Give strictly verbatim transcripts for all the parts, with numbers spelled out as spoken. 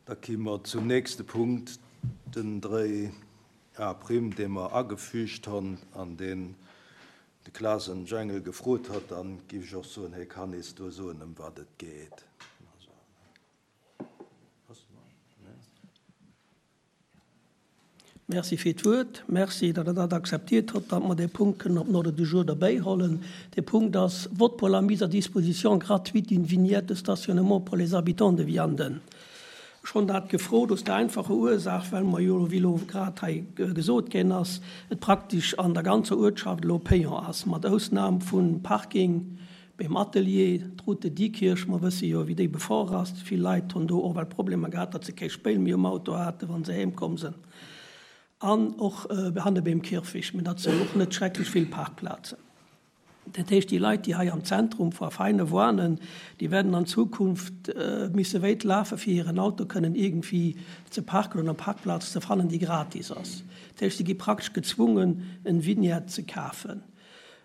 Da ki mer zum nächste Punkt, den dräi A prim, dee mer agefügt hunn an deen de Klaas Jengel gefrot hat. Dann géif ech och soen, hie kann eis do soen, ëm wat et geet. Merci fir d'Wuert. Merci, datt Der dat akzeptiert hutt, datt mer dee Punkt kënnen op den Ordre du jour derbäihollen. Dee Punkt ass Vote pour la mise à disposition gratuite d'une vignette de stationnement pour les habitants de Vianden. Ech hunn dat gefrot aus der einfacher Ursaach, well mer jo, wéi elo grad hei gesot ginn ass, et praktesch an der ganzer Uertschaft elo payant ass, mat Ausnam vum Parking beim Atelier, d'Route de Diekirch, mer wësse jo, wéi déi befuer ass. Vill Leit hunn do och well Problemer gehat, datt se kee Spéil méi um Auto haten, wa se heem komm sinn. An och hanne beim Kierfecht, mä dat sinn och net schrecklech vill Parkplazen. Dat heescht, déi Leit, déi hei am Zentrum vu Veinen wohnen, déi werden an Zukunft misse wéit lafe fir hiren Auto kënnen iergendwéi ze parken oder eng Parkplaz ze fannen, déi gratis ass. Dat heescht, si gi praktesch gezwungen, en Vignette ze kafen.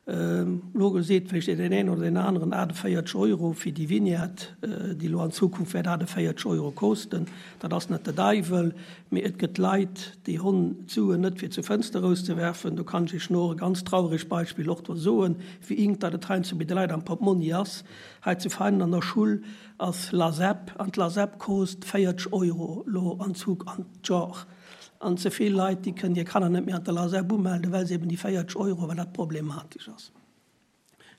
Elo seet vläicht deen een oder deen aneren achtundvéierzeg Euro fir déi Vignette, déi elo an Zukunft wäert achtundvéierzeg Euro kosten. Dat ass net de Deiwel, mee et gëtt Leit, déi hunn d'Suen net fir zur Fënster erauszewerfen. Do kann ech Iech no e ganz trauregt Beispill och do soen, wéi enk dat et heiansdo bei de Leit am Portmonni ass. Hei zu Veinen an der Schull ass LASEP an d'LASEP kost véierzeg Euro elo an Zug an d'Jor. An ze vill Leit, déi kënnen hir Kanner net méi an der LASEP umelden, well se eben déi véierzeg Euro, well dat problematesch ass.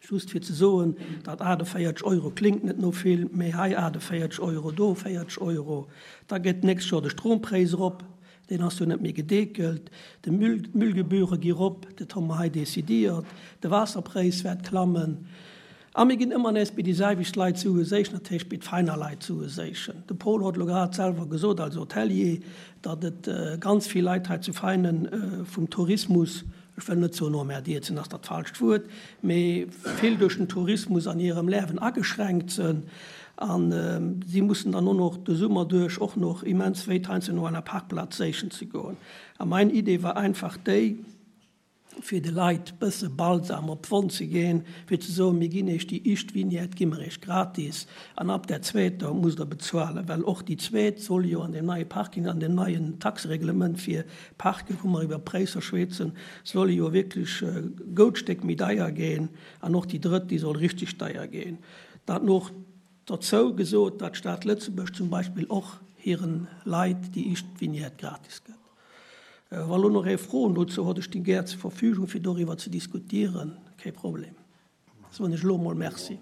Just fir ze soen, datt achtundvéierzeg Euro klingt net no vill, mee hei achtundvéierzeg Euro, do véierzeg Euro. Da gëtt d'nächst Joer de Strompräis erop, deen ass jo net méi gedeckelt, de Müll, d'Müllgebühre gi rop, dat hu mer hei decidéiert, de Waasserpräis wäert klammen. A mir ginn ëmmer nees bei déi selwecht Leit Sue séichen, dat heescht bei d'Veiner Leit Sue séichen. De Paul huet elo grad selwer gesot als Hotelier, datt et ganz vill Leit hei zu Veinen vum Tourismus, ech wëll net soen emmerdiert sinn, ass dat falscht Wuert, mee vill duerch den Tourismus an hirem Liewen ageschränkt sinn. A si mussen dann och noch de Summer duerch och noch immens wéit heiansdo no enger Parkplaz séichen ze goen. A mein Idee war einfach déi, fir de Leit bësse Balsam op d'Wonn ze ginn, fir ze soen, mir ginn iech déi éischt Vignette, gi mer iech gratis, an ab der zweeter musst der bezuelen, well och déi zweet soll jo an dem neie Parking, an dem neien Taxereglement fir Parken, wou mer iwwer Präisser schwätzen, soll jo wierklech e goud Stéck méi deier ginn, an och déi drëtt, déi soll richtig deier ginn. Dat noch dozou gesot, datt d'Stad Lëtzebuerg zum Beispill och hiren Leit déi éischt Vignette gratis gëtt. Wa lo nach ee Froen dozou huet, ech stinn gär zur Verfügung, fir doriwwer ze diskutieren. Kee Problem. Soen ech elo mol Merci.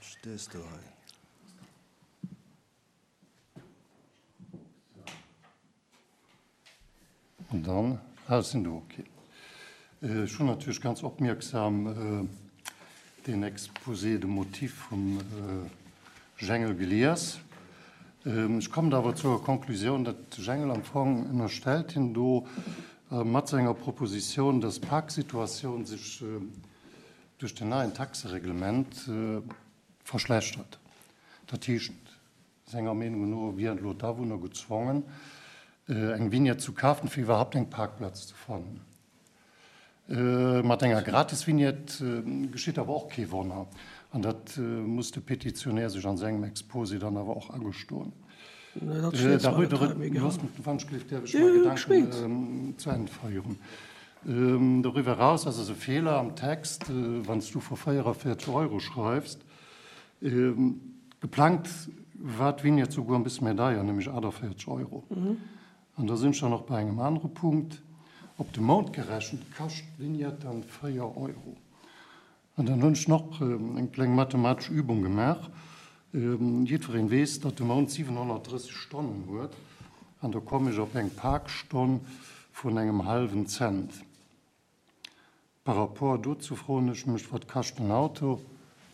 Stees du hei? An dann, ah, sinn do, okay. Ech hunn natierlech ganz opmierksam den Exposé de motifs vum Jengel gelies. Ech kommen awer zur Konklusioun, datt de Jengel am Fong ënnerstellt hien do mat senger Propositioun, datt d'Parksituatioun sech duerch den neien Taxereglement verschlechtert. Dat heescht, senger Meenung no wieren elo d'Awunner gezwongen, eng Vignette zu kafen, fir iwwerhaupt eng Parkplaz ze fannen. Mat enger Gratis-Vignette geschitt awer och kee Wonner. An dat muss de Petitionär sech an sengem Exposé dann awer och agestoen. Gedanken zu Enn féieren. Doriwwer eraus ass es e Feeler am Text, wann s du vu véierundvierzeg Euro schreifs. Geplangt war d'Vignette souguer e bësse méi deier, nämlech achtundvierzeg Euro. An da sinn ech dann och bei engem anere Punkt. Op de Mount gerechent kascht d'Vignette dann véier Euro. An dann hunn ech nach eng kleng mathematesch Übung gemaach. Jiddwereen weess, datt de Mount siwenhonnertdrësseg Stonnen huet. An da komme ech op eng Parkstonn vun engem hallwen Cent. Par rapport dozou froen ech mech, wat kascht en Auto,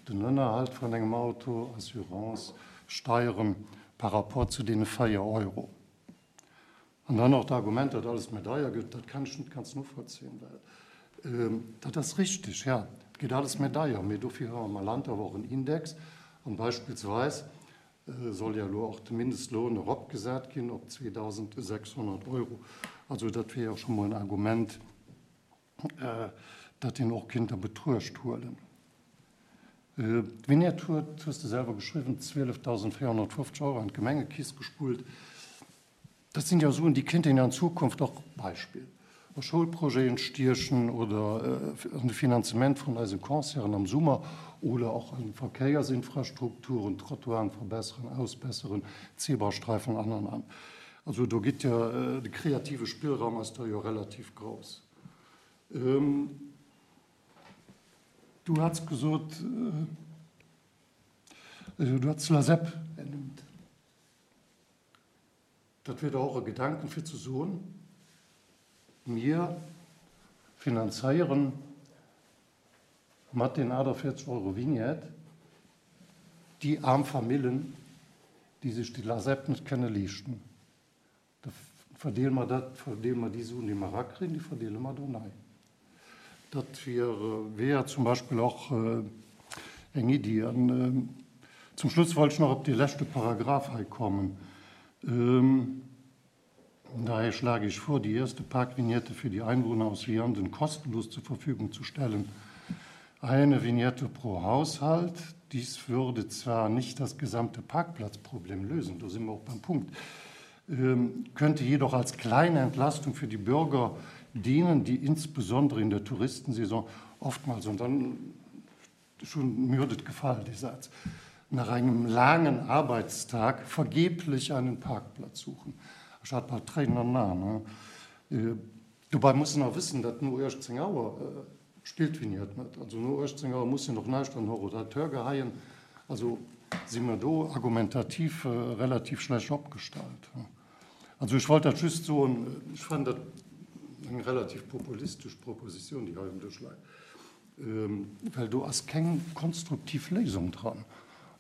den Ënnerhalt vun engem Auto, Assurance, Steieren, par rapport zu deene véier Euro. An dann och d'Argument, datt alles méi deier gëtt, dat kann ech net ganz novollzéien, well dat ass richteg, ja, et gëtt alles méi deier, mee dofir hu mer am Land awer och en Index. An beispillsweis soll ja elo och de Mindestlohn eropgesat ginn op zweetausendsechshonnert Euro. Also dat wier jo scho mol en Argument, dat een och kinnt a Betruecht huelen. D'Vignette huet, hues de selwer geschriwwen, zwielefdausendvéierhonnertfofzeg Euro an d'Gemengekeess gespullt. Dat sinn jo Suen, déi kéint een an Zukunft och, Beispill, a Schoulprojeten stiechen oder an de Finanzement vun eise Concerten am Summer oder och an Verkéiersinfrastrukturen, Trottoiren verbesseren, ausbesseren, Zebrastreifen an, an, an. Also do gitt jo, de kreative Spillraum ass da jo relativ grouss. Du hats gesot, du hats LASEP ernimmt. Dat wier dach och e Gedanken, fir ze soen, mir finanzéieren mat den achtundvierzeg Euro Vignette déi aarm Famillen, déi sech déi LASEP net kënne leeschten. Da verdeele mer dat, verdeele mer déi Suen, déi mer erakriegen, déi verdeele mer do nei. Dat wier, wär zum Beispill och eng Iddi. An zum Schluss wollt ech nach op dee leschte Paragraph hei kommen. Daher schlage ich vor, die erste Parkvignette für die Einwohner aus Vianden kostenlos zur Verfügung zu stellen. Eine Vignette pro Haushalt. Dies würde zwar nicht das gesamte Parkplatzproblem lösen, da sind wir auch beim Punkt, könnte jedoch als kleine Entlastung für die Bürger dienen, die insbesondere in der Touristensaison oftmals, und dann schon mir huet et gefall, dee Saz, nach engem laangen Arbeitstag vergeblich einen Parkplatz suchen. Ech hat bal Tréinen an den Aen. Dobei muss een och wëssen, datt no uechtzéng Auer spillt d'Vignette net. Also no uechtzéng Auer muss een och näischt an den Horodateur geheien. Also si mer do argumentativ relativ schlecht opgestallt. Also ech wollt dat just soen, ech fannen dat eng relativ populistesch Proposition, déi hei um Dësch läit, well do ass keng konstruktiv Léisung dran.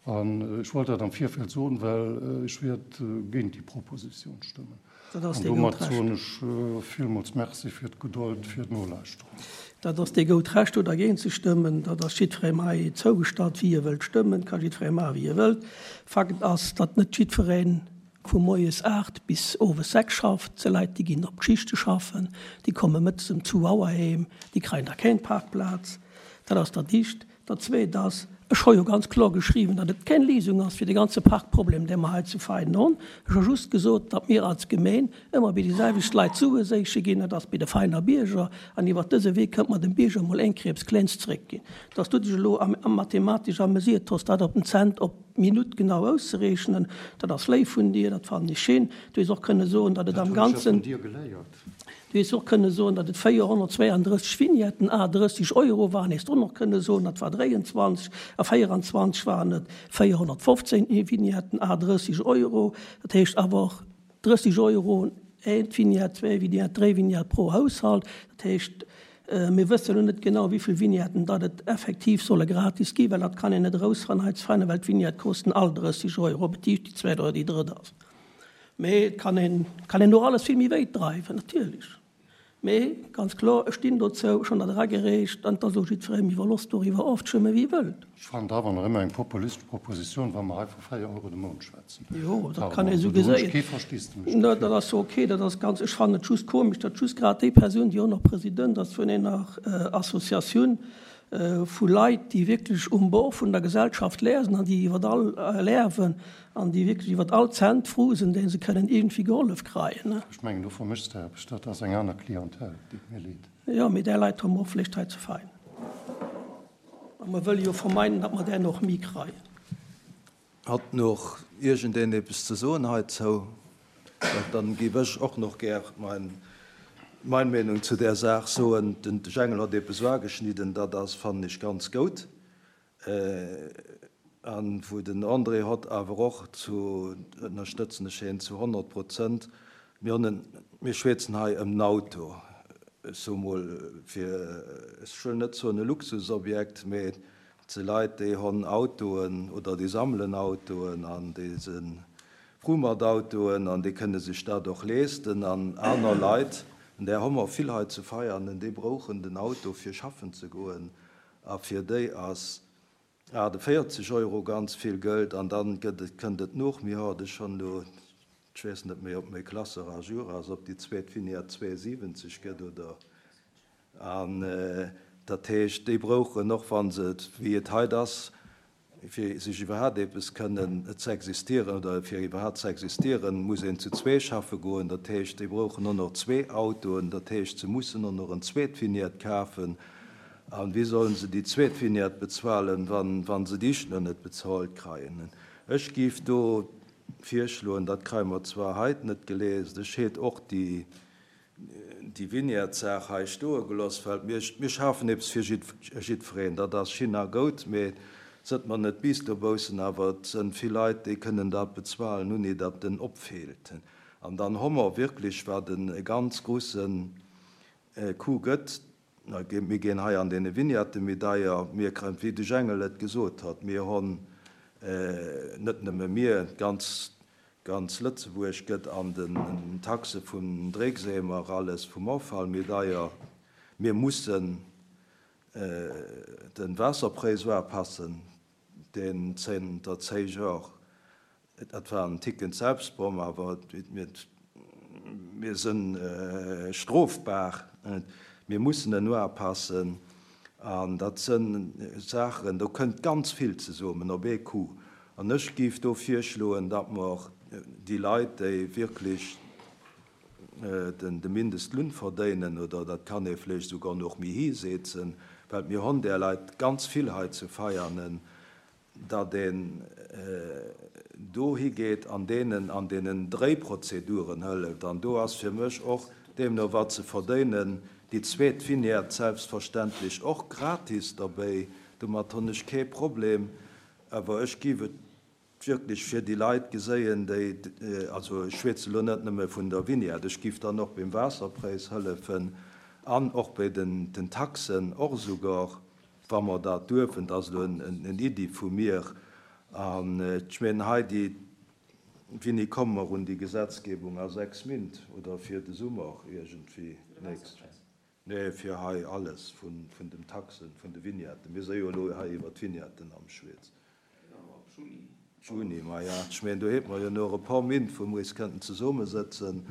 An ech wollt dat am Virfeld soen, well ech wäert géint déi Proposition stëmmen. Dat ass An dir goud domat Recht. soen ech villmools Merci fir d'Gedold, fir d'Nolauschteren. Dat ass dir goud Recht, do dergéint ze stëmmen. Dat ass jiddweree hei zougestallt, wéi e wëllt stëmmen. Ka jiddweree maachen, wéi e wëllt. Fakt ass, datt net jiddweree vu moies aacht bis owes sechs schafft. Se Leit, déi ginn op d'Schichte schaffen, déi komme mëttes ëm zwou Auer heem, déi kréien da keng Parkplaz. Dat ass dat Éischt. Dat Zweet ass, ech hu jo ganz kloer geschriwwen, datt et keng Léisung ass fir de ganze Parkproblem, dee mer hei zu Veinen hunn. Ech hu just gesot, datt mir als Gemeen ëmmer bei déi selwecht Leit Sue séiche ginn, dat ass bei de Veiner Bierger, an iwwer dëse Wee kënnt mer dem Bierger mol eng Kriibs Klénz zeréckginn. Datt du dech elo am, am mathematesch amüsiert hues, dat op den Cent, op d'Minutt genau auszerechnen, dat ass léif vun dir, dat fannen ech schéin. Du hues och kënne soen, datt et Dat am hunn ech ja Ganzen vun dir geléiert. Du hues och kënne soen, datt et véierhonnertzweianddrësseg Vignetten à drësseg Euro waren. Hues du och nach kënne soen, dat war dräiandzwanzeg, a véierandzwanzeg waren et véierhonnertfofzehn Vignetten à drësseg Euro. Dat heescht awer och drësseg Euro een Vignette, zwee Vignette, dräi Vignette pro Haushalt. Dat heescht, mir wëssen elo net genau, wéi vill Vignetten datt et effektiv solle gratis ginn, well dat kann een net erausfannen hei zu Veinen, well d'Vignette kosten all drësseg Euro, ob et déi éischt, déi zweet oder déi drëtt ass. Mee et kann een, kann een och alles vill méi wéit dreiwen, natierlech. Mee ganz kloer, ech stinn dozou, ech hunn dat eragereecht, an et ass elo jiddweree iwwerloss, doriwwer ofzestëmmen, wéi e wëllt. Ech fannen et awer nach ëmmer eng populistesch Proposition, wa mer hei vu véier Euro de Mount schwätzen. Jo, dat Pardon, kann ee sou also do hunn ech geséien. kee Versteesdemech Na, dofir. dat ass ok, dat ass ganz, ech fannen et just komesch, datt just grad déi Persoun, déi och nach President ass vun enger Associatioun vu Leit, déi wierklech um Bord vun der Gesellschaft lärsen an déi iwwer all lärwen an déi wierklech iwwer all Cent frou sinn, dee se kënnen iergendwéi gehollef kreien, ne? Ech mengen, do vermëschs de eppes, dat ass eng aner Clientèle, deet mir leed. Jo, mee där Leit hu mer och vläicht hei ze fein. A mer wëlle jo vermeiden, datt mer där nach méi kreien. Hat nach iergendeen eppes ze soen heizou? Dann géif ech och nach gär mein, mein Meenung zu där Saach soen. Den Jengel hat eppes uageschnidden, dat ass, fannen ech, ganz goud. An wou den André hott awer och zu, ënnerstëtzen ech hien zu honnert Prozent, mir hunn en, mir schwätzen hei ëm den Auto, ech soe mol fir, ech wëll net soen e Luxusobjekt, mee et si Leit, déi hunn Autoen oder déi sammelen Autoen an déi si fru mat Autoen an déi kënne sech dat och leesten an aner Leit, an där hu mer vill hei zu Veianen, déi brauchen den Auto fir schaffen ze goen a fir déi ass achtundvéierzeg Euro ganz vill Geld an dann gëtt et, kënnt et noch, mir hat et schonn elo, ech weess net méi, ob méi Klasse à jour ass, ob déi zweet Vignette zweiundsiebzig gëtt oder an, dat heescht, déi brauchen och, wann se et, wéi et heit ass, fir sech iwwerhaapt eppes kënnen ze existieren oder fir iwwerhaapt ze existieren, muss een zu zwee schaffe goen. Dat heescht, déi brauchen och nach zwee Autoen, dat heescht, se mussen och nach en zweet Vignette kafen. An wéi sollen se déi zweet Vignette bezuelen, wann, wann se déi éischt nach net bezuelt kreien? Ech géif do virschloen, dat kreie mer zwar heit net geléist, ech hätt och déi, déi Vignette-Saach hei stoe gelooss, well mir, mir schafen eppes fir jiddwereen, dat ass schin a goud, mee sënn mer net bis dobaussen, awer et sënn vill Leit, déi kënnen dat bezuelen, ouni datt en opfält. An dann hu mer wierklech, wat e ganz groussen Coup gëtt, mir ginn hei an deene Vignette méi deier, mir kréien, wéi de Jengel et gesot hat, mir hunn net nëmme mir, ganz, ganz Lëtzebuerg gëtt an den Taxe vum Dreckseemer alles vum Offall méi deier. Mir mussen den Waasserpräis upassen, deen zënter zéng Joer, dat war en Ticken Selbstbom, awer mir, mir sinn strofbar, mir mussen en upassen an dat sinn Saachen, do kënnt ganz vill zesummen op ee Coup. An ech géif do virschloen, datt mer déi Leit, déi wierklech den de Mindestloun verdéinen, oder dat kann ee vläicht souguer nach méi hisetzen, well mir hunn där Leit ganz vill hei zu Veianen, datt een do higeet an deenen an deenen Dréiprozeduren hëlleft. An do ass fir mech och deemno wat ze verdéinen, déi zweet Vignette selbstverständlech och gratis derbäi, domat hunn ech kee Problem, awer ech géif et wierklech fir déi Leit geséien, déi, also ech schwätze lo net nëmme vun der Vignette, ech géif dann och beim Waasserpräis hëllefen an och bei den, den Taxen och souguer, wa mer dat duerfen, dat ass elo en Iddi vu mir. An ech mengen hei déi, wéini komme mer un déi Gesetzgebung, a sechs Méint oder fir de Summer iergendwéi nächst? Nee, fir hei alles vun, vun den Taxen, vun de Vignetten. Mir si jo elo hei iwwer d'Vignetten am Schwätzen. Juni. Juni, ma ja, ech mengen, do hätt mer jo nach e puer Méint, wou mer eis kënnten zesummesëtzen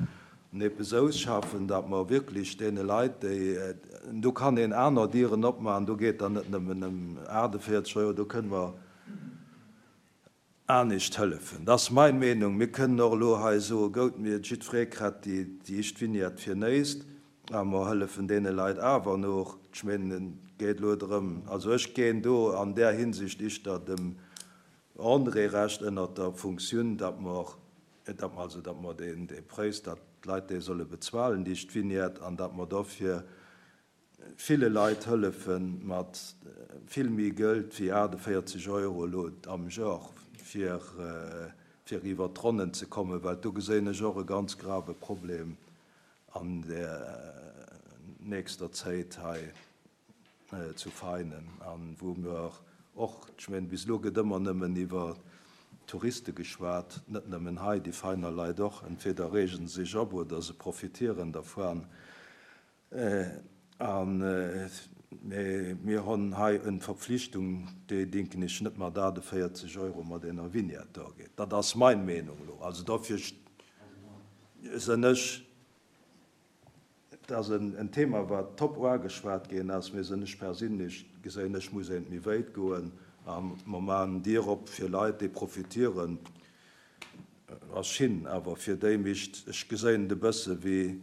an eppes ausschaffen, datt mer wierklech deene Leit, déi, do kann een aner Dieren opmaachen, do geet dann net nëmmen ëm aachtenvierzeg Euro, do kënne mer anescht hëllefen. Dat ass meng Meenung. Mir kënnen och elo hei soen, goud, mir jiddweree kritt déi, déi éischt Vignette fir näischt, a mer hëllefen deene Leit awer nach. Ech mengen, et geet elo drëm, also ech ginn do an där Hinsicht éischter dem André Recht ënnert der Funktioun, datt mer, datt mer also, datt mer deen, dee Präis, datt d'Leit déi solle bezuelen, déi éischt Vignette, an datt mer dofir ville Leit hëllefen mat vill méi Geld wéi aachtenvierzeg Euro elo am Joer, fir, fir iwwer d'Ronnen ze kommen, well do gesinn ech och e ganz grave Problem an der nächster Zäit hei zu Veinen, an wou mer och, ech mengen, bis elo gëtt ëmmer nëmmen iwwer Touriste geschwat, net nëmmen hei, déi Veiner Leit och, entweder reegen se sech op oder se profitieren dervun. An mir hunn hei eng Verpflichtung, déi denken ech net mat aachtenvierzeg Euro mat enger Vignette do geet. Dat ass meng Meenung elo. Also dofir sinn ech, dat ass en, en Thema, wat top ugeschwat ginn ass, mee sinn ech perséinlech gesinn, ech muss een méi wäit goen, a mer maachen Dier op fir Leit, déi profitieren, ass schin, awer fir déi mischt, ech gesinn e bësse wéi,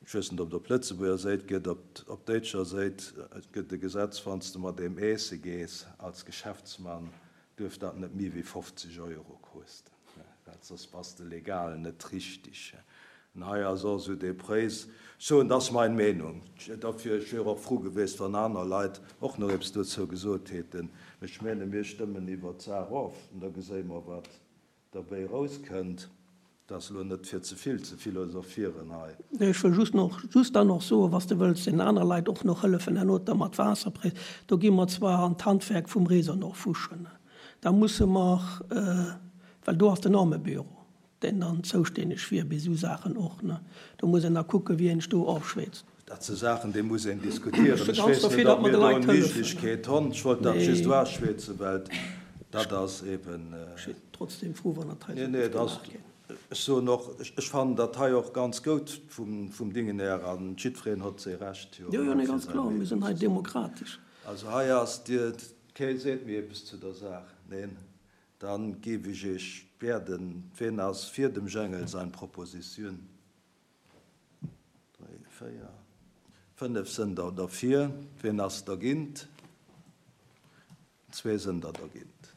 ech weess net, ob et op Lëtzebuerger Säit gëtt, op, op däitscher Säit gëtt e Gesetz, wann s de mat deem Eesse gees als Geschäftsmann, duerf dat net méi wéi fofzeg Euro kosten. Well soss bass de legal net richteg. An hei ass och esou dee Präis. So, dat ass meng Meenung. Dofir, ech wier och frou gewiescht, wann aner Leit och nach eppes dozou gesot hätten. Ech menge mir stëmmen iwwer d'Saach of an da gesi mer, wat derbäi rauskënnt. Dat ass elo net fir ze vill ze philosophieren hei. Nee, ech wëll just nach, just dann nach soen, was du wëlls den aner Leit och nach hëllefen, herno da mat Waasserpräis. Do gi mer zwar an d'Handwerk vum Réseau nach fuschen. Da musse mer, well do ass den Armebüro, deen dann zoustänneg wier bei esou Saachen och, ne. Do muss een da kucken, wien sech do ofschwätzt. Dat si Saachen, déi muss een diskutieren. Ech Ech ganz weess dofir, net, datt ob mer mir de do Leit eng hëllefen. Méiglechkeet hunn. Ech wollt dat Nee. just uschwätzen, well dat ass eben, Ech sinn trotzdem froh, wann dat hei Nee, esou nee, gutt dat ass gemaach ginn. Ech soen och, ech, ech fannen dat hei och ganz goud vum, vum Dingen her an jiddwereen huet säi Recht, jo, Jo, jo, nee, fir ganz säi kloer, mir Meenung sinn hei ze soen. demokratesch. Also hei ass Dir, kee seet mir eppes zu der Saach. Neen? Dann géif ech Iech bieden, ween ass fir dem Jengel sein Proposition? Dräi, véier, fënnef sënn der derfir. Ween ass dergéint? Zwee sënn der dergéint.